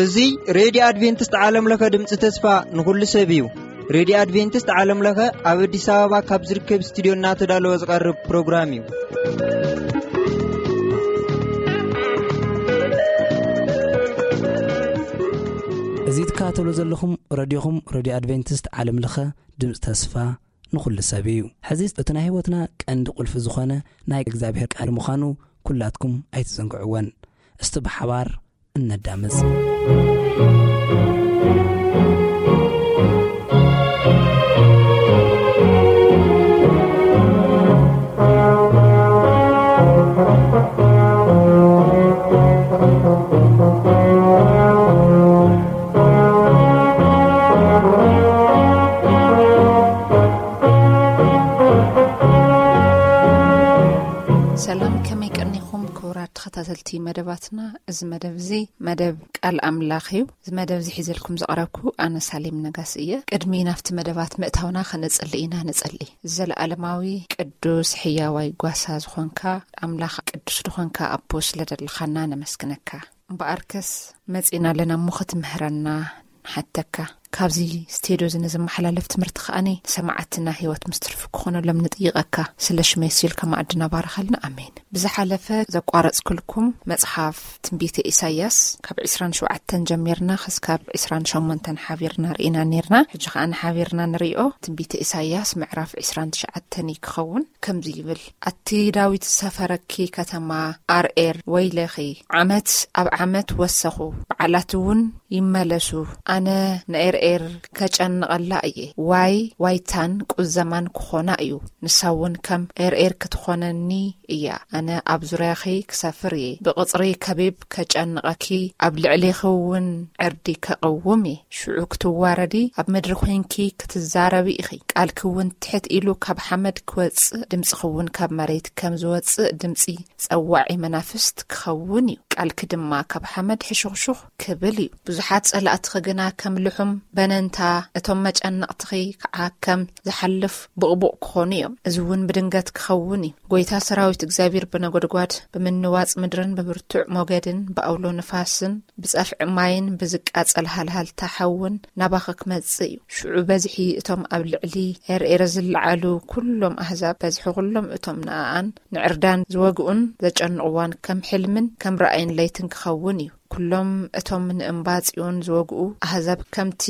እዚ ሬድዮ ኣድቬንቲስት ዓለም ለኸ ድምፂ ተስፋ ንኹሉ ሰብ እዩ። ሬድዮ ኣድቬንቲስት ዓለም ለኸ ኣብ ኣዲስ ኣበባ ካብ ዝርከብ ስቱዲዮ እናተዳለወ ዝቐርብ ፕሮግራም እዩ። እዚ ትከታተሉ ዘለኹም ረድዮኹም ሬድዮ ኣድቬንቲስት ዓለም ለኸ ድምፂ ተስፋ ንኹሉ ሰብ እዩ። ሕዚ እቲ ናይ ህይወትና ቀንዲ ቁልፊ ዝኾነ ናይ እግዚኣብሔር ቃል ምዃኑ ኩላትኩም ኣይትዘንግዕወን። እስቲ ብሓባር እነዳምፅ። ሰላም፣ ከመይ ቀኒኹም ክቡራት ተኸታተልቲ መደባትና? እዚ መደብ እዚ መደብ ቃል ኣምላኽ እዩ። እዚ መደብ እዚ ሒዘልኩም ዝቐረብኩ ኣነ ሳሌም ነጋሲ እየ። ቅድሚ ናብቲ መደባት ምእታውና ከነጽሊ ኢና። ንጸሊ። ዘለኣለማዊ ቅዱስ ሕያዋይ ጓሳ ዝኾንካ ኣምላኽ፣ ቅዱስ ዝኾንካ ኣቦ፣ ስለ ደለኻና ነመስግነካ። እምበኣርከስ መጺና ኣለና እሞ ክትምህረና ንሓተካ። ካብዚ ስቴድዮ እዚ ንዝመሓላለፍ ትምህርቲ ከኣኒ ንሰማዕትና ህይወት ምስ ትርፊ ክኾነሎም ንጥይቐካ። ስለ ሽመይ ሲልካ ማዕድና ባርኸልና። ኣሜን። ብዝሓለፈ ዘቋረጽኩልኩም መጽሓፍ ትንቢተ ኢሳይያስ ካብ ዕስራን ሸውዓተን ጀሚርና ክስካብ ዕስራን ሸሞንተን ሓቢርና ርኢና ኔርና። ሕጂ ከኣ ንሓቢርና ንሪኦ። ትንቢተ ኢሳይያስ ምዕራፍ ዕስራን ትሽዓተን እዩ ክኸውን። ከምዚ ይብል፣ ኣቲ ዳዊት ዝሰፈረኪ ከተማ ኣርኤር፣ ወይለኺ፣ ዓመት ኣብ ዓመት ወሰኹ፣ በዓላት እውን ይመለሱ። ኣነ ንኤርኤር ከጨንቐላ እየ። ዋይ ዋይታን ቁዘማን ክኾና እዩ። ንሳ እውን ከም ኤርኤር ክትኾነኒ እያ። ኣነ ኣብ ዙርያኺ ክሰፍር እየ። ብቕጽሪ ከቢብ ከጨንቐኪ፣ ኣብ ልዕሌኺ እውን ዕርዲ ከቕውም እየ። ሽዑ ክትዋረዲ፣ ኣብ ምድሪ ኮይንኪ ክትዛረቢ ኢኺ። ቃልኪ እውን ትሕት ኢሉ ካብ ሓመድ ክወጽእ፣ ድምጽኺ እውን ካብ መሬት ከም ዝወጽእ ድምጺ ጸዋዒ መናፍስት ክኸውን እዩ። ቃልኪ ድማ ካብ ሓመድ ሕሹኽሹኽ ክብል እዩ። ብዙሓት ጸላእትኺ ግና ከም ልሑም በነንታ፣ እቶም መጨነቕትኺ ከዓ ከም ዝሓልፍ ቡቕቡቕ ክኾኑ እዮም። እዚ እውን ብድንገት ክኸውን እዩ። ጎይታ ሰራዊት እግዚኣብሔር ብነጎድጓድ፣ ብምንዋጽ ምድርን ብብርቱዕ ሞገድን ብኣውሎ ንፋስን ብጸፍዒ ማይን ብዝቃጸል ሃልሃልታ ሓውን ናባኺ ክመጽእ እዩ። ሽዑ በዝሒ እቶም ኣብ ልዕሊ ኤርኤር ዝለዓሉ ኩሎም ኣህዛብ፣ በዝሒ ኩሎም እቶም ንኣኣን ንዕርዳን ዝወግኡን ዘጨንቕዋን ከም ሕልምን ከም ራእይን ለይትን ክኸውን እዩ። ኩሎም እቶም ንእምባ ጽዮን ዝወግኡ ኣህዛብ፣ ከምቲ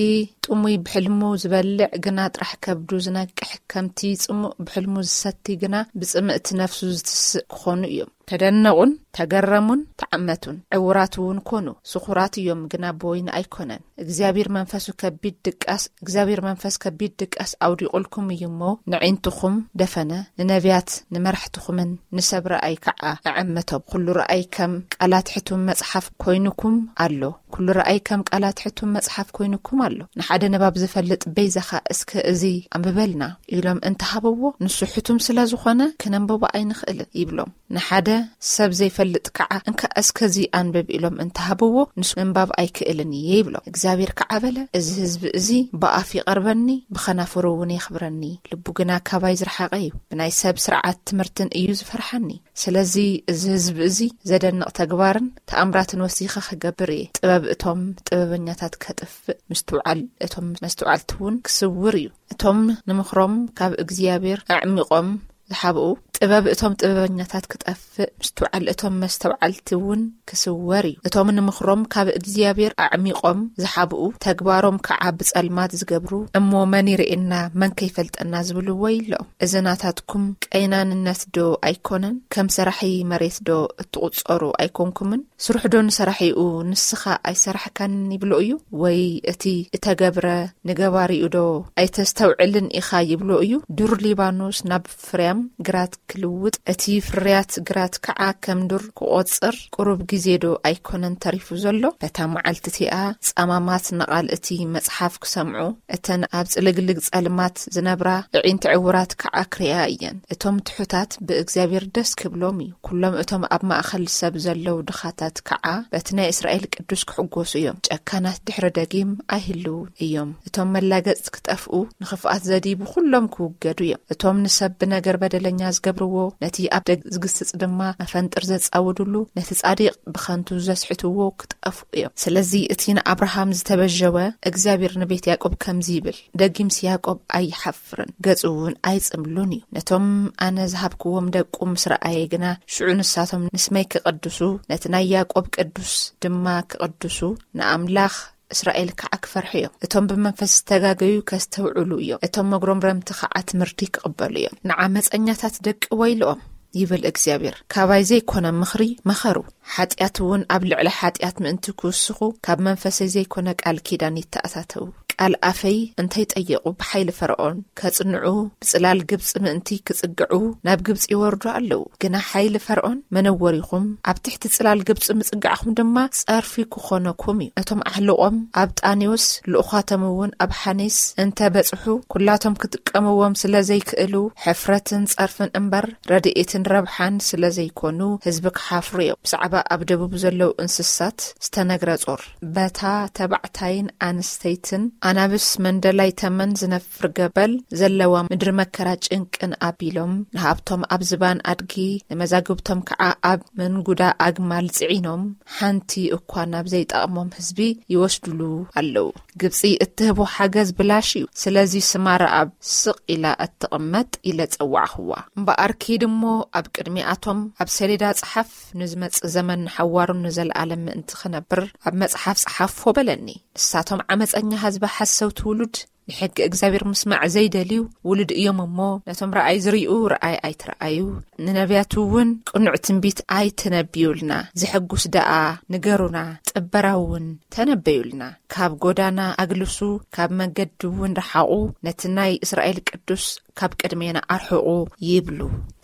ጥሙይ ብሕልሙ ዝበልዕ ግና ጥራሕ ከብዱ ዝነቅሕ፣ ከምቲ ጽሙእ ብሕልሙ ዝሰቲ ግና ብጽምእቲ ነፍሱ ዝትስእ ክኾኑ እዮም። ተደነቑን ተገረሙን ተዓመቱን። ዕውራት እውን ኮኑ። ስኹራት እዮም፣ ግና ብወይኒ ኣይኮነን። እግዚኣብሔር መንፈሱ ከቢድ ድቃስ፣ እግዚኣብሔር መንፈስ ከቢድ ድቃስ ኣውዲቑልኩም እዩ እሞ፣ ነዒንትኹም ደፈነ፣ ንነቢያት ንመራሕትኹምን ንሰብ ረኣይ ከዓ ኣዐመቶም። ኩሉ ረኣይ ከም ቃላት ሕቱም መጽሓፍ ኮይኑኩም ኣሎ። ኩሉ ረኣይ ከም ቃላት ሕቱም መጽሓፍ ኮይኑኩም ኣሎ። ንሓደ ንባብ ዝፈልጥ በይዛኻ እስከ እዚ ኣንብበልና ኢሎም እንተሃብዎ፣ ንሱ ሕቱም ስለ ዝኾነ ክነንብቦ ኣይንኽእልን ይብሎም። ንሓደ ሰብ ዘይፈልጥ ከዓ እንካ እስከዚ ኣንብብ ኢሎም እንተሃብዎ፣ ንሱ ምንባብ ኣይክእልን እየ ይብሎም። እግዚኣብሔር ከዓ በለ፣ እዚ ህዝቢ እዚ ብኣፍ ይቐርበኒ፣ ብኸናፍሩ እውን የኽብረኒ፣ ልቡ ግና ካባይ ዝረሓቐ እዩ። ብናይ ሰብ ስርዓት ትምህርትን እዩ ዝፈርሓኒ። ስለዚ እዚ ህዝቢ እዚ ዘደንቕ ተግባርን ተኣምራትን ወሲኸ ክገብር እየ። ጥበብ እቶም ጥበበኛታት ከጥፍእ፣ ምስትውዓል እቶም መስተውዓልቲ እውን ክስውር እዩ። እቶም ንምኽሮም ካብ እግዚኣብሔር ኣዕሚቖም ዝሓብኡ፣ ጥበብ እቶም ጥበበኛታት ክጠፍእ፣ ምስትውዓል እቶም መስተውዓልቲ እውን ክስወር እዩ። እቶም ንምኽሮም ካብ እግዚኣብሔር ኣዕሚቖም ዝሓብኡ፣ ተግባሮም ከዓ ብጸልማት ዝገብሩ፣ እሞ መን ይርእየና፣ መን ከይፈልጠና ዝብሉ ወይሎም። እዚ ናታትኩም ቀይናንነት ዶ ኣይኮነን? ከም ሰራሒ መሬት ዶ እትቑጸሩ ኣይኮንኩምን? ስርሑ ዶ ንሰራሒኡ ንስኻ ኣይሰራሕካን ይብሎ እዩ? ወይ እቲ እተገብረ ንገባሪኡ ዶ ኣይተስተውዕልን ኢኻ ይብሎ እዩ? ዱር ሊባኖስ ናብ ፍርያም ግራት ክልውጥ፣ እቲ ፍርያት ግራት ከዓ ከም ዱር ክቖጽር ቁሩብ ግዜ ዶ ኣይኮነን ተሪፉ ዘሎ? በታ መዓልቲ እቲኣ ጻማማት ንቓል እቲ መጽሓፍ ክሰምዑ፣ እተን ኣብ ጽልግልግ ጸልማት ዝነብራ ኣዒንቲ ዕውራት ከዓ ክርእያ እየን። እቶም ትሑታት ብእግዚኣብሔር ደስ ክብሎም እዩ። ኩሎም እቶም ኣብ ማእከል ሰብ ዘለዉ ድኻታት ከዓ በቲ ናይ እስራኤል ቅዱስ ክሕጎሱ እዮም። ጨካናት ድሕሪ ደጊም ኣይህልውን እዮም። እቶም መላገጽቲ ክጠፍኡ፣ ንኽፍኣት ዘድይቡ ኩሎም ክውገዱ እዮም። እቶም ንሰብ ብነገር በደለኛ ዝገብርዎ፣ ነቲ ኣብ ደግ ዝግስጽ ድማ መፈንጥር ዘጻውድሉ፣ ነቲ ጻዲቕ ብኸንቱ ዘስሕትዎ ክጠፍኡ እዮም። ስለዚ እቲ ንኣብርሃም ዝተበጀወ እግዚኣብሔር ንቤት ያዕቆብ ከምዚ ይብል፣ ደጊምሲ ያዕቆብ ኣይሓፍርን፣ ገጹ እውን ኣይጽምሉን እዩ። ነቶም ኣነ ዝሃብክዎም ደቁ ምስ ረኣየ ግና፣ ሽዑ ንሳቶም ንስመይ ክቕድሱ፣ ነቲ ናይ ያዕቆብ ቅዱስ ድማ ክቕድሱ፣ ንኣምላኽ እስራኤል ከዓ ክፈርሑ እዮም። እቶም ብመንፈስ ዝተጋገዩ ከስተውዕሉ እዮም። እቶም መጉረምረምቲ ከዓ ትምህርቲ ክቕበሉ እዮም። ንዓመፀኛታት ደቂ ወይልኦም፣ ይብል እግዚኣብሔር። ካባይ ዘይኮነ ምኽሪ መኸሩ፣ ሓጢኣት እውን ኣብ ልዕሊ ሓጢኣት ምእንቲ ክውስኹ፣ ካብ መንፈሰይ ዘይኮነ ቃል ኪዳን ይተኣታተዉ። ቃል ኣፈይ እንተይጠየቑ ብሓይሊ ፈርዖን ከጽንዑ፣ ብጽላል ግብጺ ምእንቲ ክጽግዑ ናብ ግብጺ ይወርዱ ኣለዉ። ግና ሓይሊ ፈርዖን መነወሪኹም፣ ኣብ ትሕቲ ጽላል ግብጺ ምጽጋዕኹም ድማ ጸርፊ ክኾነኩም እዩ። እቶም ኣሕልቖም ኣብ ጣኔዎስ፣ ልኡኻቶም እውን ኣብ ሓኔስ እንተ በጽሑ፣ ኩላቶም ክጥቀምዎም ስለ ዘይክእሉ፣ ሕፍረትን ጸርፍን እምበር ረድኤትን ረብሓን ስለ ዘይኮኑ፣ ህዝቢ ክሓፍሩ እዮም። ብዛዕባ ኣብ ደቡብ ዘለዉ እንስሳት ዝተነግረ ጾር። በታ ተባዕታይን ኣንስተይትን ኣናብስ መንደላይ ተመን ዝነፍር ገበል ዘለዋ ምድሪ መከራ ጭንቅን ኣቢሎም፣ ንሃብቶም ኣብ ዝባን ኣድጊ፣ ንመዛግብቶም ከዓ ኣብ መንጉዳ ኣግማል ጽዒኖም፣ ሓንቲ እኳ ናብ ዘይጠቕሞም ህዝቢ ይወስዱሉ ኣለዉ። ግብጺ እትህቦ ሓገዝ ብላሽ እዩ። ስለዚ ስማ ረኣብ ስቕ ኢላ እትቕመጥ ኢለ ጸዋዕኽዋ። እምበኣር ኪድ እሞ ኣብ ቅድሚኣቶም ኣብ ሰሌዳ ጽሓፍ፣ ንዝመጽእ ዘመን ንሓዋሩን ንዘለኣለም ምእንቲ ክነብር ኣብ መጽሓፍ ጸሓፎ በለኒ። ንሳቶም ዓመጸኛ ህዝቢ ሓሰውቲ ውሉድ፣ ንሕጊ እግዚኣብሔር ምስማዕ ዘይደልዩ ውሉድ እዮም እሞ፣ ነቶም ረኣይ ዝርእዩ ረኣይ ኣይትረኣዩ፣ ንነቢያቱ እውን ቅኑዕ ትንቢት ኣይትነብዩልና፣ ዘሐጉስ ደኣ ንገሩና፣ ጥበራ እውን ተነበዩልና። ካብ ጎዳና ኣግልሱ፣ ካብ መገዲ እውን ረሓቑ፣ ነቲ ናይ እስራኤል ቅዱስ ካብ ቅድሜና ኣርሕቑ ይብሉ።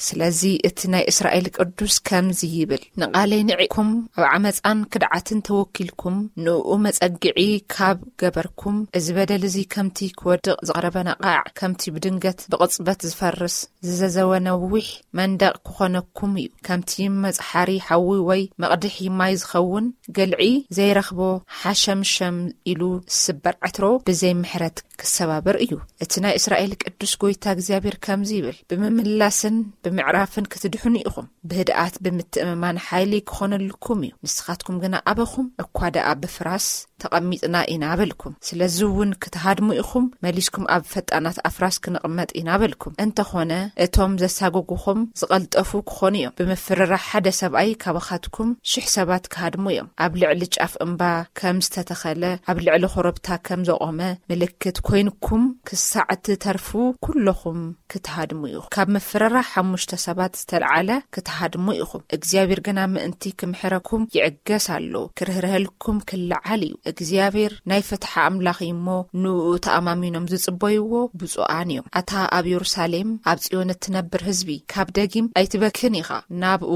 ስለዚ እቲ ናይ እስራኤል ቅዱስ ከምዚ ይብል፣ ንቓለይ ንዒቕኩም፣ ኣብ ዓመፃን ክድዓትን ተወኪልኩም፣ ንእኡ መጸግዒ ካብ ገበርኩም፣ እዚ በደል እዚ ከምቲ ክወድቕ ዝቐረበ ነቓዕ፣ ከምቲ ብድንገት ብቕጽበት ዝፈርስ ዝዘዘወ ነዊሕ መንደቕ ክኾነኩም እዩ። ከምቲ መጽሓሪ ሓዊ ወይ መቕድሒ ማይ ዝኸውን፣ ገልዒ ዘይረኽቦ ሓሸምሸም ኢሉ ዝስበር ዕትሮ ብዘይ ምሕረት ክሰባበር እዩ። እቲ ናይ እስራኤል ቅዱስ ጎይታ እግዚኣብሔር ከምዚ ይብል፣ ብምምላስን ብምዕራፍን ክትድሕኑ ኢኹም። ብህድኣት ብምትእምማን ሓይሊ ክኾነልኩም እዩ። ንስኻትኩም ግና ኣበኹም፣ እኳ ደኣ ብፍራስ ተቐሚጥና ኢና በልኩም። ስለዚ እውን ክትሃድሙ ኢኹም፣ መሊስኩም ኣብ ፈጣናት ኣፍራስ ክንቕመጥ ኢና በልኩም። እንተኾነ እቶም ዘሳጎጉኹም ዝቐልጠፉ ክኾኑ እዮም። ብምፍርራሕ ሓደ ሰብኣይ ካባኻትኩም ሽሕ ሰባት ክሃድሙ እዮም። ኣብ ልዕሊ ጫፍ እምባ ከም ዝተተኸለ፣ ኣብ ልዕሊ ኮረብታ ከም ዘቖመ ምልክት ኮይንኩም ክሳዕ እትተርፉ ኩለኹም ክትሃድሙ ኢኹም። ካብ ምፍርራሕ ሓሙሽተ ሰባት ዝተልዓለ ክትሃድሙ ኢኹም። እግዚኣብሔር ግና ምእንቲ ክምሕረኩም ይዕገስ ኣሎ፣ ክርህርሀልኩም ክለዓል እዩ። እግዚኣብሔር ናይ ፍትሒ ኣምላኽ እዩ እሞ፣ ንእኡ ተኣማሚኖም ዝጽበይዎ ብፁዓን እዮም። ኣታ ኣብ የሩሳሌም፣ ኣብ ጽዮን እትነብር ህዝቢ፣ ካብ ደጊም ኣይትበክን ኢኻ። ናብኡ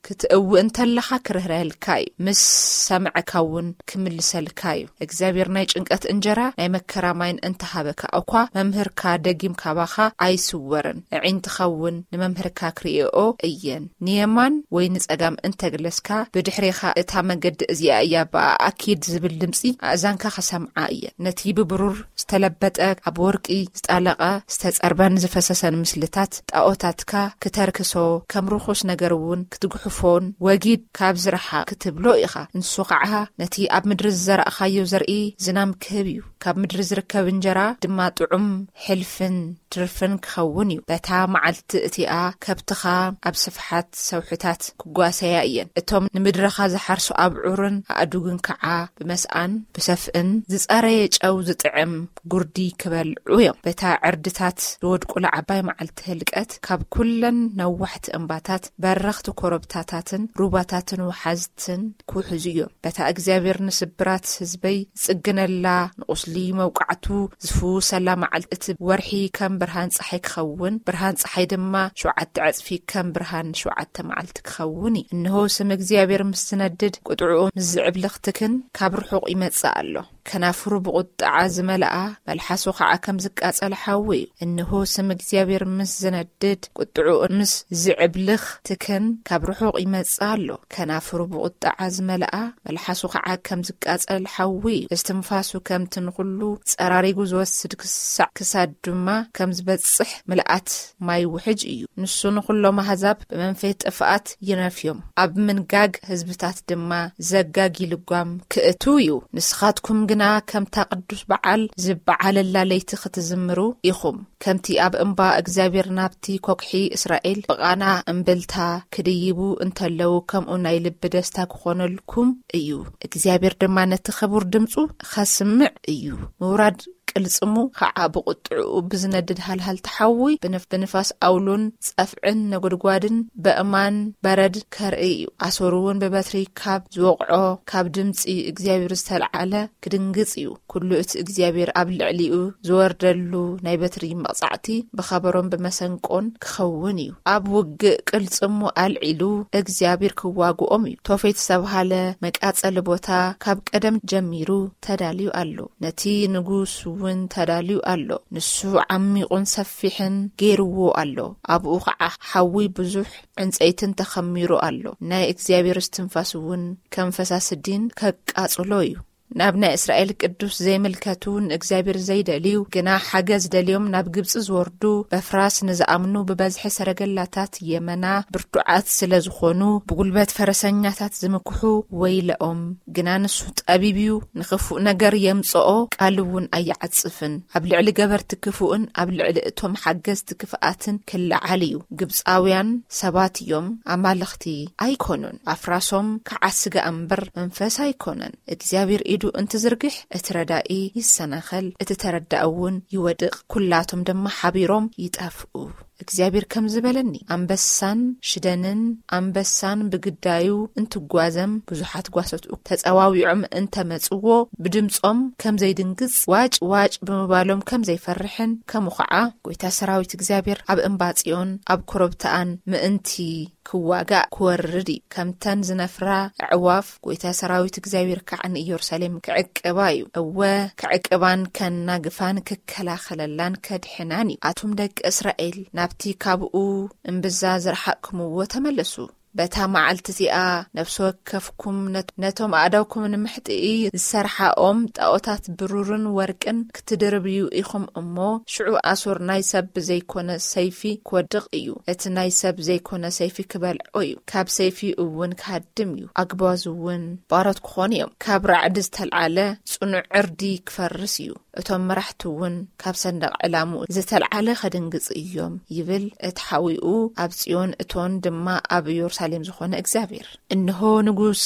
ክትእዊ እንተለኻ ክርህረልካ እዩ፣ ምስ ሰምዐካ እውን ክምልሰልካ እዩ። እግዚኣብሔር ናይ ጭንቀት እንጀራ ናይ መከራ ማይን እንተሃበካ እኳ፣ መምህርካ ደጊም ካባኻ ኣይስወርን። ኣዒንትኻ እውን ንመምህርካ ክርእየኦ እየን። ንየማን ወይ ንጸጋም እንተግለስካ፣ ብድሕሬኻ እታ መገዲ እዚኣ እያ፣ ብኣ ኣኪድ ዝብል ድምጺ ኣእዛንካ ክሰምዓ እየን። ነቲ ብብሩር ዝተለበጠ፣ ኣብ ወርቂ ዝጣለቐ፣ ዝተጸርበን ዝፈሰሰን ምስልታት ጣኦታትካ ክተርክሶ፣ ከም ርኹስ ነገር እውን ክትጉሕፎን ወጊድ ካብ ዝረሓ ክትብሎ ኢኻ። ንሱ ኸዓ ነቲ ኣብ ምድሪ ዝዘራእኻዮ ዘርኢ ዝናም ክህብ እዩ። ካብ ምድሪ ዝርከብ እንጀራ ድማ ጥዑም ሕልፍን ትርፍን ክኸውን እዩ። በታ መዓልቲ እቲኣ ከብትኻ ኣብ ስፍሓት ሰውሕታት ክጓሰያ እየን። እቶም ንምድርኻ ዝሓርሱ ኣብዑርን ኣእዱግን ከዓ ብመስኣን ብሰፍእን ዝጸረየ ጨው ዝጥዕም ጉር ዲ ክበልዑ እዮም። በታ ዕርድታት ዝወድቁላ ዓባይ መዓልቲ ህልቀት ካብ ኩለን ነዋሕቲ እምባታት በረኽቲ ኮረብታታትን ሩባታትን ወሓዝትን ክውሕዙ እዮም። በታ እግዚኣብሔር ንስብራት ህዝበይ ዝጽግነላ፣ ንቁስሊ መውቃዕቱ ዝፍውሰላ መዓልቲ፣ እቲ ወርሒ ከም ብርሃን ጸሓይ ክኸውን፣ ብርሃን ጸሓይ ድማ ሸውዓተ ዕጽፊ ከም ብርሃን ሸውዓተ መዓልቲ ክኸውን እዩ። እንሆ ስም እግዚኣብሔር ምስ ዝነድድ፣ ቁጥዕኡ ምስ ዝዕብልኽ ትክን ካብ ርሑቕ ይመጽእ ኣሎ። ከናፍሩ ብቁጥዓ ዝመልኣ፣ መልሓሱ ኸዓ ከም ዝቃጸል ሓዊ እዩ። እንሆ ስም እግዚኣብሔር ምስ ዝነድድ፣ ቁጥዕኡ ምስ ዝዕብልኽ ትክን ካብ ርሑቕ ይመጽእ ኣሎ። ከናፍሩ ብቁጥዓ ዝመልኣ፣ መልሓሱ ኸዓ ከም ዝቃጸል ሓዊ እዩ። እስትንፋሱ ከምቲ ንኹሉ ጸራሪጉ ዝወስድ ክሳዕ ክሳድ ድማ ከም ዝበጽሕ ምልኣት ማይ ውሕጅ እዩ። ንሱ ንኹሎም ኣህዛብ ብመንፈይ ጥፍኣት ይነፍዮም። ኣብ ምንጋግ ህዝብታት ድማ ዘጋጊ ልጓም ክእቱ እዩ። ንስኻትኩም ግና ከምታ ቅዱስ በዓል ዝበዓለላ ለይቲ ክትዝምሩ ኢኹም። ከምቲ ኣብ እምባ እግዚኣብሔር ናብቲ ኮክሒ እስራኤል ብቓና እምብልታ ክድይቡ እንተለዉ፣ ከምኡ ናይ ልቢ ደስታ ክኾነልኩም እዩ። እግዚኣብሔር ድማ ነቲ ክቡር ድምፁ ኸስምዕ እዩ። ምውራድ ቅልጽሙ ኸዓ ብቁጥዕኡ ብዝነድድ ሃልሃል ተሓዊ፣ ብንፍ-፣ ብንፋስ ኣውሎን ጸፍዕን ነጎድጓድን በእማን በረድ ከርኢ እዩ። ኣሶር እውን ብበትሪ ካብ ዝወቕዖ ካብ ድምጺ እግዚኣብሔር ዝተልዓለ ክድንግጽ እዩ። ኩሉ እቲ እግዚኣብሔር ኣብ ልዕሊኡ ዝወርደሉ ናይ በትሪ መቕጻዕቲ ብኸበሮን ብመሰንቆን ክኸውን እዩ። ኣብ ውግእ ቅልጽሙ ኣልዒሉ እግዚኣብሔር ክዋግኦም እዩ። ቶፌት ዝተብሃለ መቃጸሊ ቦታ ካብ ቀደም ጀሚሩ ተዳልዩ ኣሎ። ነቲ ንጉስ እውን ተዳልዩ ኣሎ። ንሱ ዓሚቑን ሰፊሕን ገይርዎ ኣሎ። ኣብኡ ኸዓ ሓዊ ብዙሕ ዕንጸይትን ተኸሚሩ ኣሎ። ናይ እግዚኣብሔር እስትንፋስ እውን ከም ፈሳሲ ዲን ከቃጽሎ እዩ። ናብ ናይ እስራኤል ቅዱስ ዘይምልከቱ፣ ንእግዚኣብሔር ዘይደልዩ፣ ግና ሓገዝ ደልዮም ናብ ግብጺ ዝወርዱ፣ በፍራስ ንዝኣምኑ ብበዝሒ ሰረገላታት የመና ብርቱዓት ስለ ዝኾኑ፣ ብጉልበት ፈረሰኛታት ዝምክሑ ወይለኦም። ግና ንሱ ጠቢብ እዩ፣ ንኽፉእ ነገር የምጽኦ፣ ቃል እውን ኣይዓጽፍን። ኣብ ልዕሊ ገበርቲ ክፉእን ኣብ ልዕሊ እቶም ሓገዝቲ ክፍኣትን ክለዓል እዩ። ግብጻውያን ሰባት እዮም፣ ኣማልኽቲ ኣይኮኑን። ኣፍራሶም ከዓ ስጋ እምበር መንፈስ ኣይኮነን። እግዚኣብሔር ኢዱ እንትዝርግሕ እቲ ረዳኢ ይሰናኸል፣ እቲ ተረዳኢ እውን ይወድቕ፣ ኩላቶም ድማ ሓቢሮም ይጠፍኡ። እግዚኣብሔር ከም ዝበለኒ፣ ኣንበሳን ሽደንን ኣንበሳን ብግዳዩ እንትጓዘም፣ ብዙሓት ጓሶት ተጸዋዊዖም እንተመጽዎ፣ ብድምጾም ከም ዘይድንግጽ፣ ዋጭ ዋጭ ብምባሎም ከም ዘይፈርሕን፣ ከምኡ ኸዓ ጎይታ ሰራዊት እግዚኣብሔር ኣብ እምባ ጽዮን ኣብ ኮረብታኣን ምእንቲ ክዋጋእ ክወርድ እዩ። ከምተን ዝነፍራ ኣዕዋፍ፣ ጎይታ ሰራዊት እግዚኣብሔር ከዓ ንኢየሩሳሌም ክዕቅባ እዩ። እወ፣ ክዕቅባን ከናግፋን ክከላኸለላን ከድሕናን እዩ። ኣቱም ደቂ እስራኤል፣ ናብቲ ካብኡ እምብዛ ዝረሓቅኩምዎ ተመለሱ። በታ መዓልቲ እዚኣ ነፍሲ ወከፍኩም ነት-፣ ነቶም ኣእዳውኩም ንምሕጥኢ ዝሰርሓኦም ጣኦታት ብሩርን ወርቅን ክትድርብዩ ኢኹም እሞ፣ ሽዑ ኣሶር ናይ ሰብ ብዘይኮነ ሰይፊ ክወድቕ እዩ። እቲ ናይ ሰብ ዘይኮነ ሰይፊ ክበልዖ እዩ። ካብ ሰይፊ እውን ክሃድም እዩ። ኣግባዙ እውን ባሮት ክኾኑ እዮም። ካብ ራዕዲ ዝተልዓለ ጽኑዕ ዕርዲ ክፈርስ እዩ። እቶም መራሕቲ እውን ካብ ሰንደቕ ዕላምኡ ዝተልዓለ ከድንግጽ እዮም፣ ይብል እቲ ሓዊኡ ኣብ ጽዮን እቶን ድማ ኣብ ኢየሩሳሌም ዝኾነ እግዚኣብሔር። እንሆ ንጉስ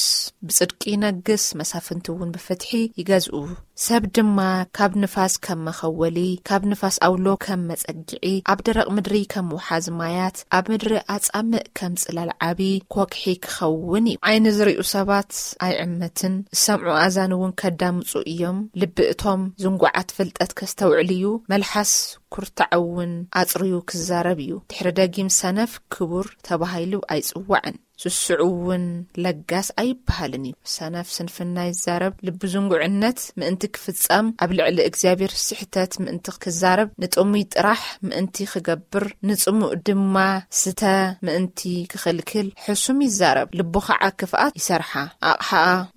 ብጽድቂ ይነግስ፣ መሳፍንቲ እውን ብፍትሒ ይገዝኡ። ሰብ ድማ ካብ ንፋስ ከም መኸወሊ፣ ካብ ንፋስ ኣውሎ ከም መጸግዒ፣ ኣብ ደረቕ ምድሪ ከም ውሓዝ ማያት፣ ኣብ ምድሪ ኣጻምእ ከም ጽላል ዓቢ ኮክሒ ክኸውን እዩ። ዓይኒ ዝርእዩ ሰባት ኣይዕመትን፣ ዝሰምዑ ኣዛን እውን ከዳምጹ እዮም። ልቢ እቶም ዝንጉዓት ፍልጠት ከስተውዕል እዩ። መልሓስ ኩርታዕ እውን ኣጽርዩ ክዛረብ እዩ። ድሕሪ ደጊም ሰነፍ ክቡር ተባሂሉ ኣይጽዋዕን፣ ስሱዕ እውን ለጋስ ኣይበሃልን እዩ። ሰነፍ ስንፍና ይዛረብ፣ ልቢ ዝንጉዕነት ምእንቲ ክፍጸም፣ ኣብ ልዕሊ እግዚኣብሔር ስሕተት ምእንቲ ክዛረብ፣ ንጥሙይ ጥራሕ ምእንቲ ክገብር፣ ንጽሙእ ድማ ስተ ምእንቲ ክኽልክል ሕሱም ይዛረብ፣ ልቡ ኸዓ ክፍኣት ይሰርሓ። ኣቕሓ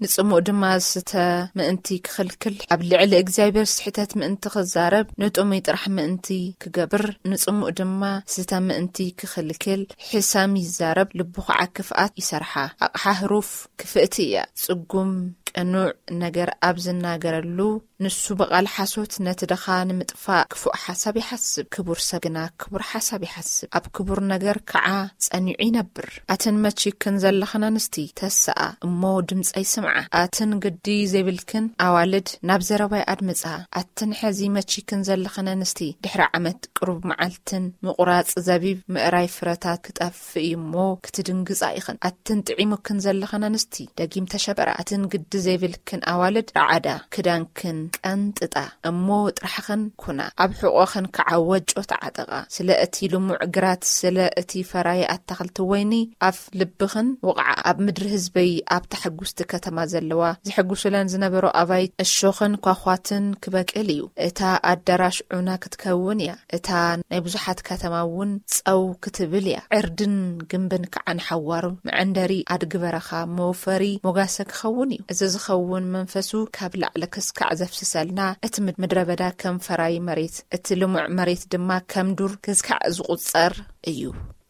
ንጽሙእ ድማ ስተ ምእንቲ ክኽልክል፣ ኣብ ልዕሊ እግዚኣብሔር ስሕተት ምእንቲ ክዛረብ፣ ንጥሙይ ጥራሕ ምእንቲ ክገብር፣ ንጽሙእ ድማ ስተ ምእንቲ ክኽልክል ሕሰም ይዛረብ፣ ልቡ ኸዓ ክፍኣት ይሰርሓ። ኣቕሓ ህሩፍ ክፍእቲ እያ፣ ጽጉም ቅኑዕ ነገር ኣብ ዝናገረሉ፣ ንሱ ብቓል ሓሶት ነቲ ድኻ ንምጥፋእ ክፉእ ሓሳብ ይሓስብ። ክቡር ሰብ ግና ክቡር ሓሳብ ይሓስብ፣ ኣብ ክቡር ነገር ከዓ ጸኒዑ ይነብር። ኣትን መቺክን ዘለኽን ኣንስቲ፣ ተስኣ እሞ ድምጸይ ስምዓ። ኣትን ግዲ ዘይብልክን ኣዋልድ፣ ናብ ዘረባይ ኣድምጻ። ኣትን ሕዚ መቺክን ዘለኽን ኣንስቲ፣ ድሕሪ ዓመት ቅሩብ መዓልትን ምቑራጽ ዘቢብ ምእራይ ፍረታት ክጠፍእ እዩ እሞ ክትድንግጻ ኢኽን። ኣትን ጥዒሙክን ዘለኽን ኣንስቲ፣ ደጊም ተሸበራ። ኣትን ግዲ ዘይብልክን ኣዋልድ፣ ረዓዳ ክዳንክን ቀንጥጣ እሞ ጥራሕኽን ኩና። ኣብ ሕቖኽን ከዓ ወጮ ተዓጠቓ። ስለ እቲ ልሙዕ ግራት፣ ስለ እቲ ፈራይ ኣታኽልቲ ወይኒ ኣፍ ልብኽን ውቕዓ። ኣብ ምድሪ ህዝበይ፣ ኣብታ ሕጉስቲ ከተማ ዘለዋ፣ ዝሕጉሱለን ዝነበሩ ኣባይት እሾኽን ኳዃትን ክበቅል እዩ። እታ ኣዳራሽ ዑና ክትከውን እያ። እታ ናይ ብዙሓት ከተማ እውን ጸው ክትብል እያ። ዕርድን ግንብን ከዓ ንሓዋሩ መዐንደሪ ኣድጊ በረኻ መወፈሪ ሞጋሰ ክኸውን እዩ። እዚ ዝኸውን መንፈሱ ካብ ላዕሊ ክስካዕ ዘፍስሰልና፣ እቲ ምድ-፣ ምድረ በዳ ከም ፈራይ መሬት፣ እቲ ልሙዕ መሬት ድማ ከም ዱር ክስካዕ ዝቑጸር እዩ።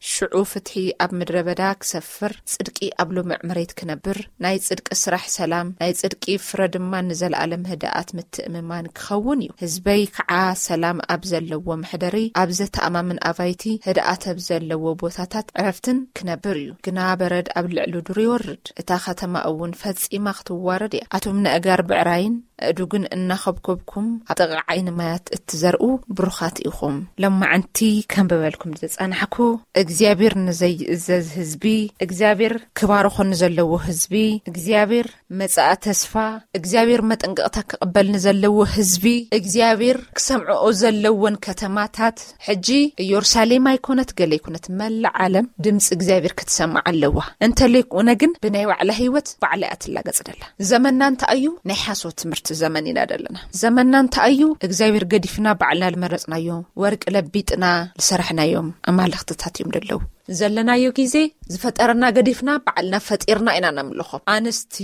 ሽዑ ፍትሒ ኣብ ምድረ በዳ ክሰፍር፣ ጽድቂ ኣብ ልሙዕ መሬት ክነብር፣ ናይ ጽድቂ ስራሕ ሰላም፣ ናይ ጽድቂ ፍረ ድማ ንዘለኣለም ህድኣት ምትእምማን ክኸውን እዩ። ህዝበይ ከዓ ሰላም ኣብ ዘለዎ መሕደሪ፣ ኣብ ዘተኣማምን ኣባይቲ፣ ህድኣት ኣብ ዘለዎ ቦታታት ዕረፍትን ክነብር እዩ። ግና በረድ ኣብ ልዕሊ ዱር ይወርድ፣ እታ ከተማ እውን ፈጺማ ክትዋረድ እያ። ኣቱም ነእጋር ብዕራይን ኣእዱግን እናኸብከብኩም ኣብ ጥቓ ዓይኒ ማያት እትዘርኡ ብሩኻት ኢኹም። ሎማዓንቲ ከንብበልኩም ዝተጻናሕኩ፣ እግዚኣብሔር ንዘይእዘዝ ህዝቢ፣ እግዚኣብሔር ክባርኾ ንዘለዎ ህዝቢ፣ እግዚኣብሔር መጻኢ ተስፋ፣ እግዚኣብሔር መጠንቀቕታ ክቕበል ንዘለዎ ህዝቢ፣ እግዚኣብሔር ክሰምዕኦ ዘለዎን ከተማታት፣ ሕጂ ኢየሩሳሌም ኣይኮነት፣ ገለ ኣይኮነት፣ መላእ ዓለም ድምፂ እግዚኣብሔር ክትሰማዕ ኣለዋ። እንተለይኮነ ግን ብናይ ባዕላ ህይወት ባዕላ እያ ትላገጽ ደላ። ዘመንና እንታይ እዩ? ናይ ሓሶት ትምህርቲ ዘመን ኢና ደለና። ዘመንና እንታይ እዩ? እግዚኣብሔር ገዲፍና ባዕልና ዝመረጽናዮ፣ ወርቂ ለቢጥና ዝሰራሕናዮም ኣማልኽትታት እዮም ደለዉ። ዘለናዮ ግዜ ዝፈጠረና ገዲፍና ባዕልና ፈጢርና ኢና ነምልኾ። ኣንስቲ፣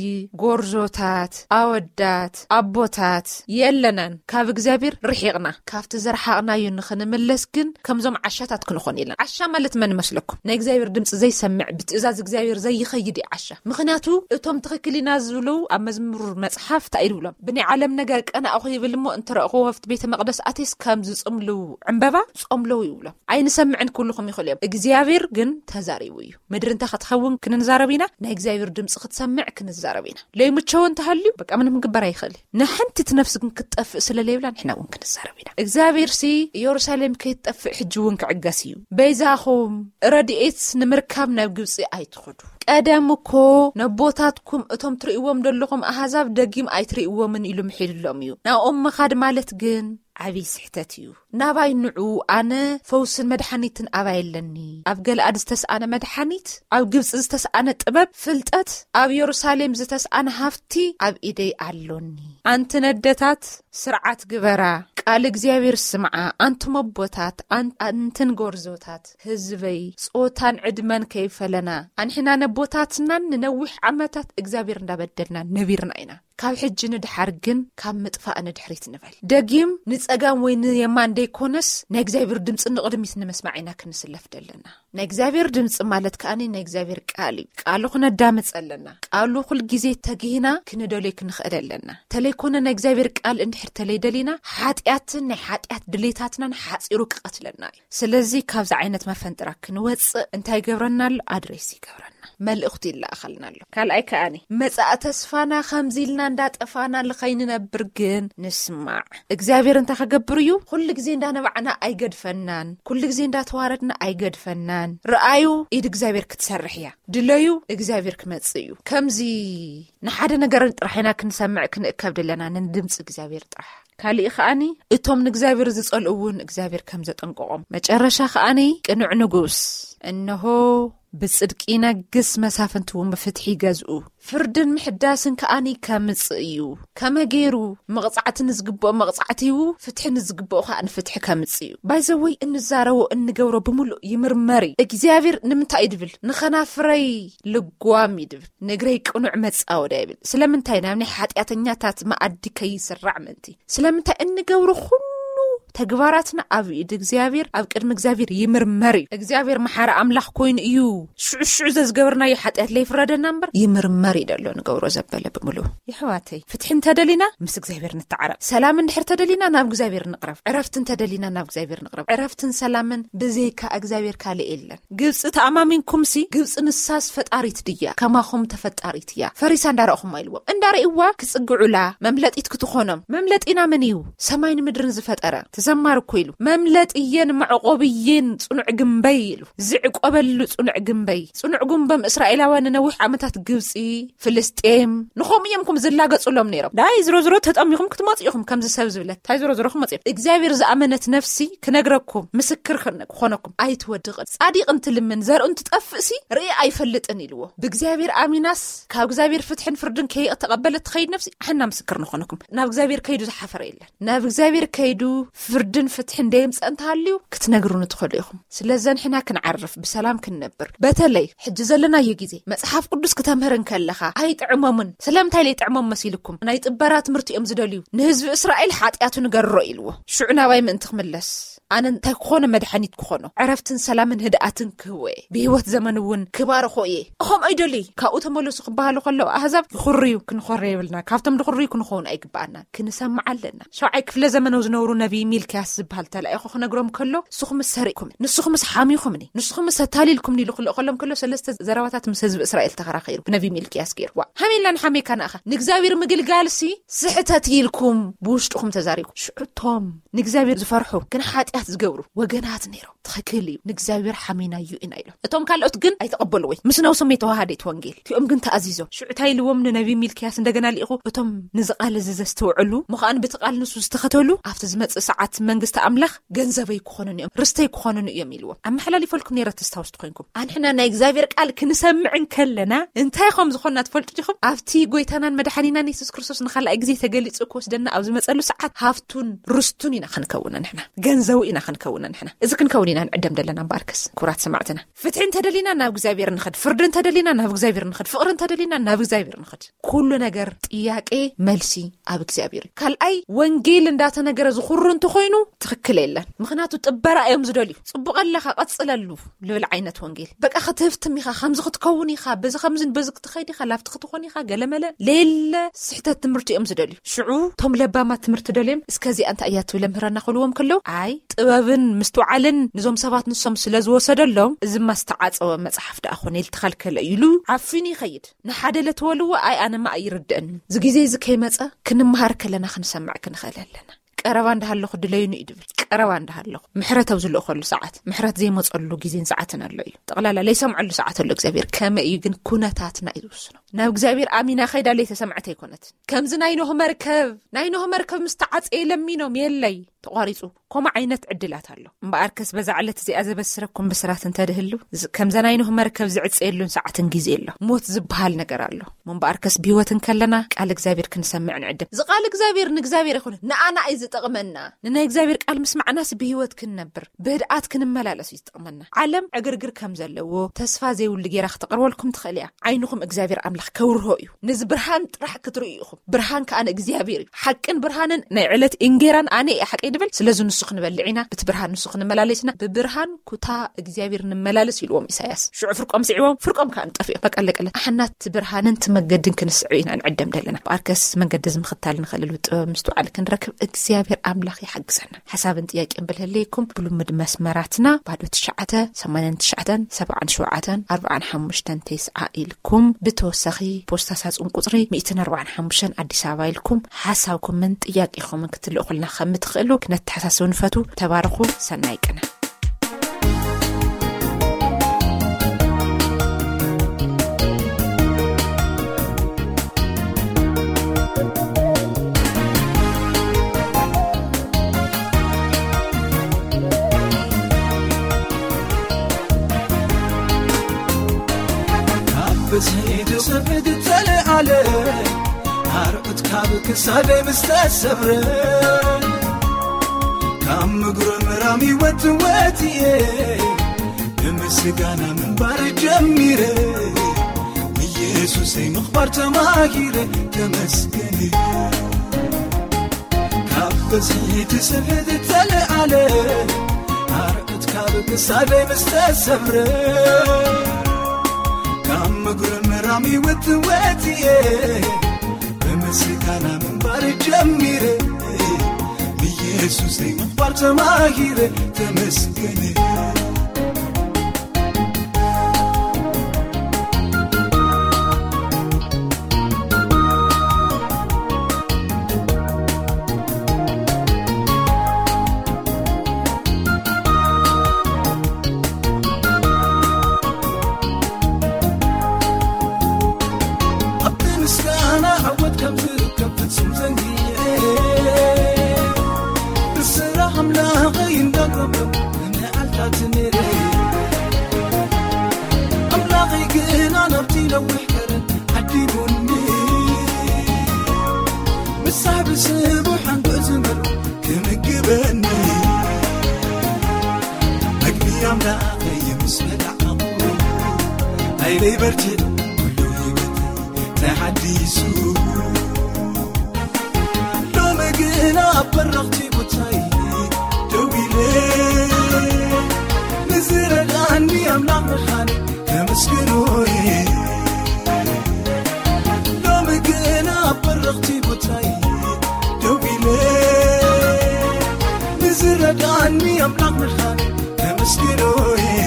ጎርዞታት፣ ኣወዳት፣ ኣቦታት የለናን። ካብ እግዚኣብሔር ርሒቕና፣ ካብቲ ዝረሓቕናዮ ንኽንምለስ ግን ከምዞም ዓሻታት ክንኾን የለን። ዓሻ ማለት መን መስለኩም? ናይ እግዚኣብሔር ድምፂ ዘይሰምዕ፣ ብትእዛዝ እግዚኣብሔር ዘይኸይድ እዩ ዓሻ። ምኽንያቱ እቶም ትኽክል ኢና ዝብሉ ኣብ መዝሙር መጽሓፍ እንታይ ይብሎም? ብናይ ዓለም ነገር ቀናእኹ ይብል እሞ እንተረእኽዎ ኣብቲ ቤተ መቕደስ ኣትየስ ከም ዝጽምሉ ዕምበባ ጾምለዉ ይብሎም። ኣይንሰምዕን ክብልኹም ይኽእሉ እዮም። እግዚኣብሔር ግን ተዛሪቡ እዩ። ምድሪ እንታይ ክትኸውን ክንዛረብ ኢና? ናይ እግዚኣብሔር ድምፂ ክትሰምዕ ክንዛረብ ኢና። ለይምቸዎ እንተሃልዩ በቃ ምንም ክግበር ኣይኽእል እዩ። ንሓንቲት ነፍሲ ግን ክትጠፍእ ስለ ለይብላ ንሕና እውን ክንዛረብ ኢና። እግዚኣብሔር ሲ ኢየሩሳሌም ከይትጠፍእ ሕጂ እውን ክዕገስ እዩ። በይዛኹም ረድኤት ንምርካብ ናብ ግብፂ ኣይትኸዱ። ቀደም እኮ ነቦታትኩም እቶም ትርእይዎም ዘለኹም ኣህዛብ ደጊም ኣይትርእይዎምን ኢሉ ምሒልሎም እዩ። ናብኦም ምኻድ ማለት ግን ዓብዪ ስሕተት እዩ። ናባይ ንዑ፣ ኣነ ፈውስን መድሓኒትን ኣባይ ኣለኒ። ኣብ ገለኣድ ዝተስኣነ መድሓኒት፣ ኣብ ግብፂ ዝተስኣነ ጥበብ፣ ፍልጠት፣ ኣብ የሩሳሌም ዝተስኣነ ሃፍቲ ኣብ ኢደይ ኣሎኒ። ኣንቲ ነደታት ስርዓት ግበራ፣ ቃል እግዚኣብሔር ስምዓ። ኣንቱም ኣቦታት፣ ኣን-፣ ኣንትን ጎርዞታት ህዝበይ፣ ጾታን ዕድመን ከይፈለና፣ ኣንሕና ነቦታትናን ንነዊሕ ዓመታት እግዚኣብሔር እንዳበደልና ነቢርና ኢና። ካብ ሕጂ ንድሓር ግን ካብ ምጥፋእ ንድሕሪት ንበል። ደጊም ንጸጋም ወይ ንየማን ደይኮነስ ናይ እግዚኣብሔር ድምፂ ንቕድሚት ንምስማዕ ኢና ክንስለፍ ደለና። ናይ እግዚኣብሔር ድምፂ ማለት ከኣኒ ናይ እግዚኣብሔር ቃል እዩ። ቃሉ ክነዳምፅ ኣለና። ቃሉ ኩል ግዜ ተጊህና ክንደልዮ ክንኽእል ኣለና። ተለይኮነ ናይ እግዚኣብሔር ቃል እንድሕር ተለይደሊና ሓጢኣትን ናይ ሓጢኣት ድሌታትናን ሓፂሩ ክቐትለና እዩ። ስለዚ ካብዚ ዓይነት መፈንጥራ ክንወፅእ እንታይ ይገብረና ኣሎ? ኣድሬስ ይገብረና። መልእኽቱ ይለኣኸልና ኣሎ። ካልኣይ ከኣኒ መጻኢ ተስፋና ከምዚ ኢልና እንዳጠፋና ልኸይንነብር ግን ንስማዕ። እግዚኣብሔር እንታይ ከገብር እዩ? ኩሉ ግዜ እንዳነባዕና ኣይገድፈናን። ኩሉ ግዜ እንዳተዋረድና ኣይገድፈናን። ረኣዩ፣ ኢድ እግዚኣብሔር ክትሰርሕ እያ። ድለዩ፣ እግዚኣብሔር ክመጽእ እዩ። ከምዚ ንሓደ ነገር ጥራሕ ኢና ክንሰምዕ ክንእከብ ደለና፣ ንድምፂ እግዚኣብሔር ጥራሕ። ካሊእ ከኣኒ እቶም ንእግዚኣብሔር ዝጸልኡ እውን እግዚኣብሔር ከም ዘጠንቀቖም። መጨረሻ ከኣኒ ቅኑዕ ንጉስ፣ እንሆ ብጽድቂ ይነግስ፣ መሳፍንቲ እውን ብፍትሒ ይገዝኡ። ፍርድን ምሕዳስን ከኣኒ ከምጽእ እዩ። ከመ ገይሩ መቕጻዕቲ ንዝግብኦ መቕጻዕቲ ይህቡ፣ ፍትሒ ንዝግብኦ ከኣ ንፍትሒ ከምጽእ እዩ። ባይዘወይ እንዛረቦ እንገብሮ ብምሉእ ይምርመር እዩ። እግዚኣብሔር ንምንታይ እዩ ድብል? ንኸናፍረይ ልጓም እዩ ድብል፣ ንእግረይ ቅኑዕ መጻወዳ ይብል። ስለምንታይ ናብ ናይ ሓጢኣተኛታት መኣዲ ከይስራዕ ምእንቲ? ስለምንታይ እንገብሮ ኩሉ ተግባራትና ኣብ ኢድ እግዚኣብሔር፣ ኣብ ቅድሚ እግዚኣብሔር ይምርመር እዩ። እግዚኣብሔር መሓሪ ኣምላኽ ኮይኑ እዩ። ሽዑ ሽዑ ዘዝገበርናዮ ሓጢኣት ለይፍረደና እምበር፣ ይምርመር እዩ ደሎ ንገብሮ ዘበለ ብምሉ። የሕዋተይ፣ ፍትሒ እንተደሊና ምስ እግዚኣብሔር ንተዓረቕ። ሰላም እንድሕር ተደሊና ናብ እግዚኣብሔር ንቕረብ። ዕረፍቲ እንተደሊና ናብ እግዚኣብሔር ንቕረብ። ዕረፍትን ሰላምን ብዘይካ እግዚኣብሔር ካልእ የለን። ግብፂ ተኣማሚንኩምሲ፣ ግብፂ ንሳስ ፈጣሪት ድያ? ከማኹም ተፈጣሪት እያ። ፈሪሳ እንዳረእኹማ ኢልዎም። እንዳረእዋ ክጽግዑላ መምለጢት ክትኾኖም። መምለጢና መን እዩ? ሰማይን ምድርን ዝፈጠረ። ተዘማር እኮ ኢሉ። መምለጥየን መዕቆብየን ጽኑዕ ግንበይ ኢሉ። ዝዕቆበሉ ጽኑዕ ግንበይ። ጽኑዕ ግንቦም እስራኤላውያን ንነዊሕ ዓመታት ግብፂ፣ ፍልስጤም፣ ንኸምኡ እዮም ኩም ዝላገጹሎም ነይሮም። ዳይ ዝሮ ዝሮ ተጠሚኹም ክትመጹ ኢኹም ከምዚ ሰብ ዝብለት። ታይ ዝሮ ዝሮ ክመጹ እዮም። እግዚኣብሔር ዝኣመነት ነፍሲ ክነግረኩም፣ ምስክር ክነ-፣ ክኾነኩም። ኣይትወድቕን። ጻዲቕ እንትልምን፣ ዘርኡ እንትጠፍእሲ ርኢ ኣይፈልጥን ኢልዎ። ብእግዚኣብሔር ኣሚናስ፣ ካብ እግዚኣብሔር ፍትሕን ፍርድን ከይተቐበለት ትኸይድ ነፍሲ፣ ኣሕና ምስክር ንኾነኩም። ናብ እግዚኣብሔር ከይዱ ዝሓፈረ የለን። ናብ እግዚኣብሔር ከይዱ ፍርድን ፍትሕን ደየምጸእ እንተሃልዩ፣ ክትነግሩኒ ትኸዱ ኢኹም። ስለዚ ንሕና ክንዓርፍ፣ ብሰላም ክንነብር። በተለይ ሕጂ ዘለናዮ ግዜ፣ መጽሓፍ ቅዱስ ክተምህር እንከለኻ፣ ኣይጥዕሞምን። ስለምንታይ ለይጥዕሞም መሲልኩም? ናይ ጥበራ ትምህርቲ እዮም ዝደልዩ። ንህዝቢ እስራኤል ሓጢኣቱ ንገርሮ ኢልዎ። ሽዑ ናባይ ምእንቲ ክምለስ፣ ኣነ እንታይ ክኾኖ መድሓኒት ክኾኖ? ዕረፍትን ሰላምን ህድኣትን ክህቦ እየ። ብህይወት ዘመን እውን ክባርኾ እየ። እኸም ኣይደልይ። ካብኡ ተመለሱ ክበሃሉ ከለዉ ኣህዛብ ይኹርዩ። ክንኾረ የብልና። ካብቶም ድኹርዩ ክንኸውን ኣይግባኣና። ክንሰምዕ ኣለና። ሸውዓይ ክፍለ ዘመን ዝነብሩ ነቢይ ሚልክያስ ዝበሃል ተላኢኹ ክነግሮም ከሎ፣ ንስኹምስ ሰሪቕኩምኒ፣ ንስኹምስ ሓሚኹምኒ፣ ንስኹምስ ኣታሊልኩምኒ ኢሉ ክልእኸሎም ከሎ፣ ሰለስተ ዘረባታት ምስ ህዝቢ እስራኤል ተኸራኺሩ ብነቢይ ሚልክያስ ገይሩ። ዋ፣ ሃሜላ ንሓሜካ ንኣኻ ንእግዚኣብሔር ምግልጋልሲ ስሕተት ኢልኩም ብውሽጥኹም ተዛሪብኩም። ሽዑ እቶም ንእግዚኣብሔር ዝፈርሑ ግን ሓጢኣት ዝገብሩ ወገናት ነይሮም። ትኽክል እዩ፣ ንእግዚኣብሔር ሓሚናዩ ኢና ኢሎም። እቶም ካልኦት ግን ኣይተቐበልዎይ፣ ምስ ነብሶም የተዋሃደት ወንጌል። እቲኦም ግን ተኣዚዞም። ሽዑ እንታይ ኢልዎም ንነቢይ ሚልክያስ እንደገና ልኢኹ፣ እቶም ንዚ ቃል እዚ ዘስተውዕሉ፣ ምዃን ብቲ ቃል ንሱ ዝተኸተሉ፣ ኣብቲ ዝመጽእ ሰዓት መንግስቲ ኣምላኽ ገንዘበይ ክኾኑን እዮም፣ ርስተይ ክኾኑን እዮም ኢልዎም። ኣመሓላሊፈልኩም ነይረ ተስታውስቲ ኮይንኩም። ኣንሕና ናይ እግዚኣብሔር ቃል ክንሰምዕ እንከለና እንታይ ከም ዝኾንና ትፈልጡ ዲኹም? ኣብቲ ጎይታናን መድሓኒናን የሱስ ክርስቶስ ንኻልኣይ ግዜ ተገሊጹ ክወስደና ኣብ ዝመጸሉ ሰዓት ሃፍቱን ርስቱን ኢና ክንከውን ንሕና። ገንዘቡ ኢና ክንከውን ንሕና። እዚ ክንከውን ኢና ንዕደም ደለና እምበኣርከስ፣ ክቡራት ሰማዕትና። ፍትሒ እንተደሊና ናብ እግዚኣብሔር ንኸድ፣ ፍርዲ እንተደሊና ናብ እግዚኣብሔር ንኸድ፣ ፍቕሪ እንተደሊና ናብ እግዚኣብሔር ንኸድ። ኩሉ ነገር ጥያቄ መልሲ ኣብ እግዚኣብሔር እዩ። ካልኣይ ወንጌል እንዳተነገረ ዝኹሩ እንተኾይኑ ትኽክል የለን። ምኽንያቱ ጥበራ እዮም ዝደልዩ። ጽቡቕ ኣለኻ ቀጽለሉ ልብል ዓይነት ወንጌል። በቃ ክትህፍትም ኢኻ፣ ከምዚ ክትከውን ኢኻ፣ በዚ ከምዚ በዚ ክትኸይድ ኢኻ፣ ላብቲ ክትኾን ኢኻ፣ ገለመለ ሌለ ስሕተት ትምህርቲ እዮም ዝደልዩ። ሽዑ እቶም ለባማት ትምህርቲ ደልዮም እስከዚኣ እንታይ እያ ትብል ምህረና ክብልዎም ከለዉ ኣይ ጥበብን ምስትውዓልን ንዞም ሰባት ንሶም ስለ ዝወሰደሎም፣ እዚ ማስተዓጸወ መጽሓፍ ደኣ ኾነ ኢሉ ተኸልከለ ኢሉ ዓፊኑ ይኸይድ። ንሓደ ለትወልዎ ኣይ ኣነማ ኣይርድእን። እዚ ግዜ እዚ ከይመጸ ክንመሃር ከለና ክንሰምዕ ክንኽእል ኣለና። ቀረባ እንዳሃለኹ ድለዩኒ እዩ ድብል። ቀረባ እንዳሃለኹ ምሕረት ኣብ ዝልእኸሉ ሰዓት፣ ምሕረት ዘይመጸሉ ግዜን ሰዓትን ኣሎ እዩ። ጠቕላላ ለይሰምዐሉ ሰዓት ኣሎ እግዚኣብሔር። ከመይ እዩ ግን ኩነታትና እዩ ዝውስኖ። ናብ እግዚኣብሔር ኣሚና ኸይዳ ለይተሰምዐት ኣይኮነትን። ከምዚ ናይ ኖህ መርከብ፣ ናይ ኖህ መርከብ ምስ ተዓጸየ ለሚኖም የለይ ተቋሪጹ። ኮማ ዓይነት ዕድላት ኣሎ። እምበኣርከስ በዛ ዕለት እዚኣ ዘበስረኩም ብስራት እንተድህሉ፣ ዝ-፣ ከምዛ ናይ ኖህ መርከብ ዝዕጸየሉን ሰዓትን ግዜ ኣሎ። ሞት ዝበሃል ነገር ኣሎ። እምበኣርከስ ብህይወት እንከለና ቃል እግዚኣብሔር ክንሰምዕ ንዕድም። እዚ ቃል እግዚኣብሔር ንእግዚኣብሔር ኣይኮነ፣ ንኣና እዩ ዝጠቕመና። ንናይ እግዚኣብሔር ቃል ምስማዕናስ ብህይወት ክንነብር፣ ብህድኣት ክንመላለስ እዩ ዝጠቕመና። ዓለም ዕግርግር ከም ዘለዎ፣ ተስፋ ዘይብሉ ጌራ ክትቐርበልኩም ትኽእል እያ። ዓይንኹም እግዚኣብሔር ኣምላኽ ከብርሆ እዩ። ነዚ ብርሃን ጥራሕ ክትርእዩ ኢኹም። ብርሃን ከኣ ንእግዚኣብሔር እዩ። ሓቅን ብርሃንን ናይ ዕለት እንጌራን ኣነ እየ ሓቀይ ድብል። ስለዚ ንሱ ክንበልዕ ኢና፣ ብቲ ብርሃን ንሱ ክንመላለስ ኢና። ብብርሃን ኩታ እግዚኣብሔር ንመላለስ ኢልዎም ኢሳያስ። ሽዑ ፍርቆም ስዒቦም፣ ፍርቆም ከኣ ንጠፍኦም። በቃ ኣለቀለ። ኣሕና እቲ ብርሃንን እቲ መገድን ክንስዕብ ኢና ንዕደም ደለና። ብኣርከስ መገዲ እዚ ምኽታል ንኽእልሉ ጥበብ ምስትውዓል ክንረክብ እግዚኣብሔር ኣምላኽ ይሓግዘና። ሓሳብን ጥያቄን ብልህለይኩም ብልምድ መስመራትና ባዶ ትሽዓተ፣ ሰማንያን ትሽዓተን፣ ሰብዓን ሸውዓተን፣ ኣርብዓን ሓሙሽተን፣ ተስዓ ኢልኩም ብተወሳኺ ፖስታ ሳጹን ቁጽሪ ሚእትን ኣርባዓን ሓሙሽተን ኣዲስ ኣበባ ኢልኩም ሓሳብኩምን ጥያቄኹምን ክትልእኹልና ከም እትኽእሉ ክነተሓሳስብ ንፈቱ። ተባረኹ። ሰናይ ቅነ። ካብ ብዝሒ ትውስድ ትጸልእ ኣለ፣ ኣርዑት ካብ ክሳደይ ምስ ተሰብረ፣ ካብ ምጉርምራም ይወት ወት እየ፣ ብምስጋና ምንባር ጀሚረ፣ ኢየሱሰይ ምኽባር ተማሂረ፣ ተመስገን። ካብ በዚ ትስሕት ተለዓለ ኣርዑት ካብ ክሳደይ ምስ ተሰብረ ካብ ምግሪ ምራም ይወትወት እየ ብምስጋና ምንባር ጀሚረ ንየሱሰይ ምኽባር ተማሂረ ተመስገን ኣብቲ ምስጋና ዓወት ከም ዝርከብ ፍጹም ዘንጊዐ ብስራሕ ኣምላኸይ እንዳጎበ ንዓልታት ነይረ ኣምላኸይ ግና ናብቲ ነዊሕ ከረን ዓዲጉኒ ምሳሕ ብስቡ ሓንጎ ዝመልኡ ክምግበኒ መግቢ ኣምላኸይ ምስ በላዕኹ ሓይለይ በርቲዑ ኩሉ ህይወተይ ተሓዲሱ ሎሚ ግና ኣብ በረኽቲ ቦታይ ደው ኢለ ንዝረዳኒ ኣምላኽ ምዃነይ ከመስግኖ እየ ሎሚ ግና ኣብ በረኽቲ ቦታይ ደው ኢለ ንዝረዳኒ ኣምላኽ ምዃነይ ከመስግኖ እየ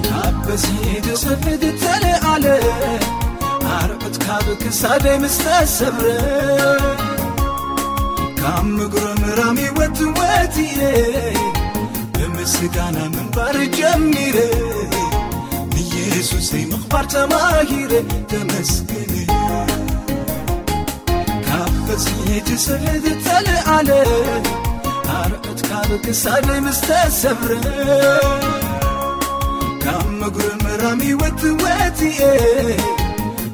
ካብ በዝሒ ትሰፍድ ተለዓለ ኣርዑት ካብ ክሳደይ ምስ ተሰብረ ካብ ምግሮ ምራም ይወትወት እየ ብምስጋና ምንባር ጀሚረ ንየሱሰይ ምኽባር ተማሂረ ተመስገን ካብ በዝሒ ትስሕት ተለዓለ ኣርዑት ካብ ክሳደይ ምስ ተሰብረ ካብ ምግሪ ምራም ይወትወት እየ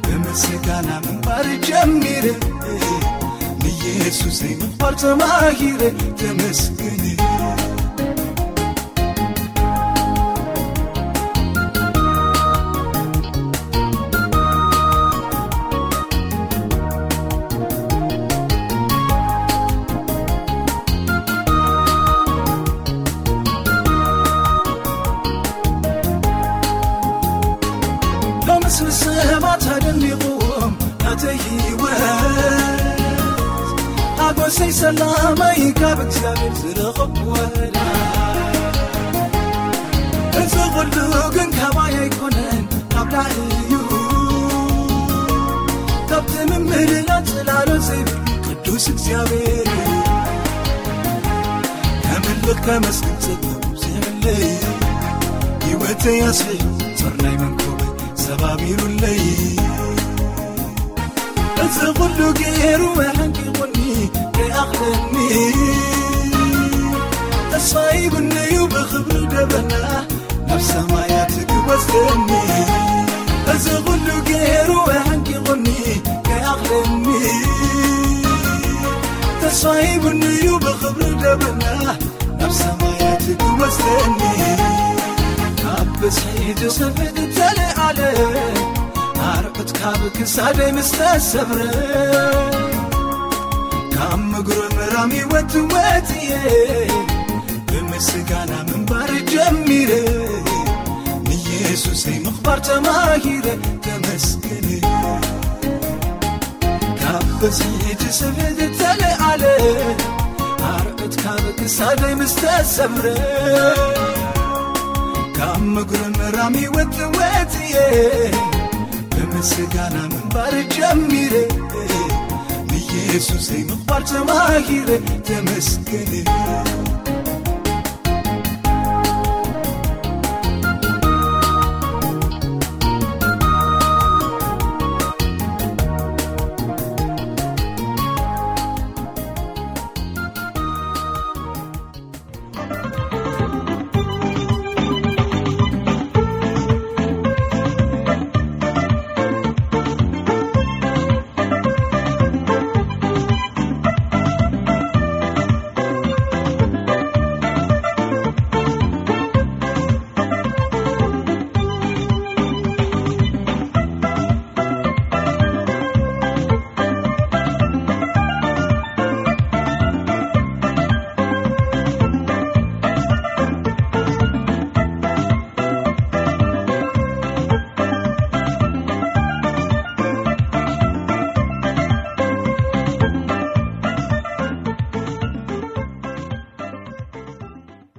ብምስጋና ምንባር ጀሚረ ንየሱሰይ ምኽባር ተማሂረ ተመስገን ሎምስ ንሰባት ኣደኒቕዎም ናተይ ህይወት ሓጎሰይ ሰላመይ ካብ እግዚኣብሔር ዝረኸብኩ ወላ እዚ ኩሉ ግን ካባይ ኣይኮነን ካብ ላዕሊ እዩ ካብቲ ምምልላል ጽላሎት ዘይብሉ ቅዱስ እግዚኣብሔር እዩ ከምልኽ ከመስግን ጸገቡ ዘይብለይ ህይወተይ ኣስፊሑ ጾር ናይ መንኮበይ ሰባቢሩለይ እዚ ኩሉ ገይሩ ኣሕንቂቑኒ ከይኣኽለኒ ተስፋ ሂቡኒ እዩ ብኽብሪ ደበና ናብ ሰማያት ክወስደኒ እዚ ኩሉ ገይሩ ኣሕንቂቑኒ ከይኣኽለኒ ተስፋ ሂቡኒ እዩ ብኽብሪ ደበና ናብ ሰማያት ክወስደኒ ካብ ብዝሒ ዝኸፍት ተለዓለ ኣርዑት ካብ ክሳደይ ምስ ተሰብረ ካብ ምግሩ ምራም ይወትወት እየ ብምስጋና ምንባር ጀሚረ ንየሱሰይ ምኽባር ተማሂረ ተመስገን ካብ በዝሒ ትስሕት ተለዓለ ኣርዑት ካብ ክሳደይ ምስ ተሰብረ ካብ ምግሩ ምራም ይወትወት እየ ብምስጋና ምንባር ጀሚረ ንየሱሰይ ምኽባር ተማሂረ ተመስገን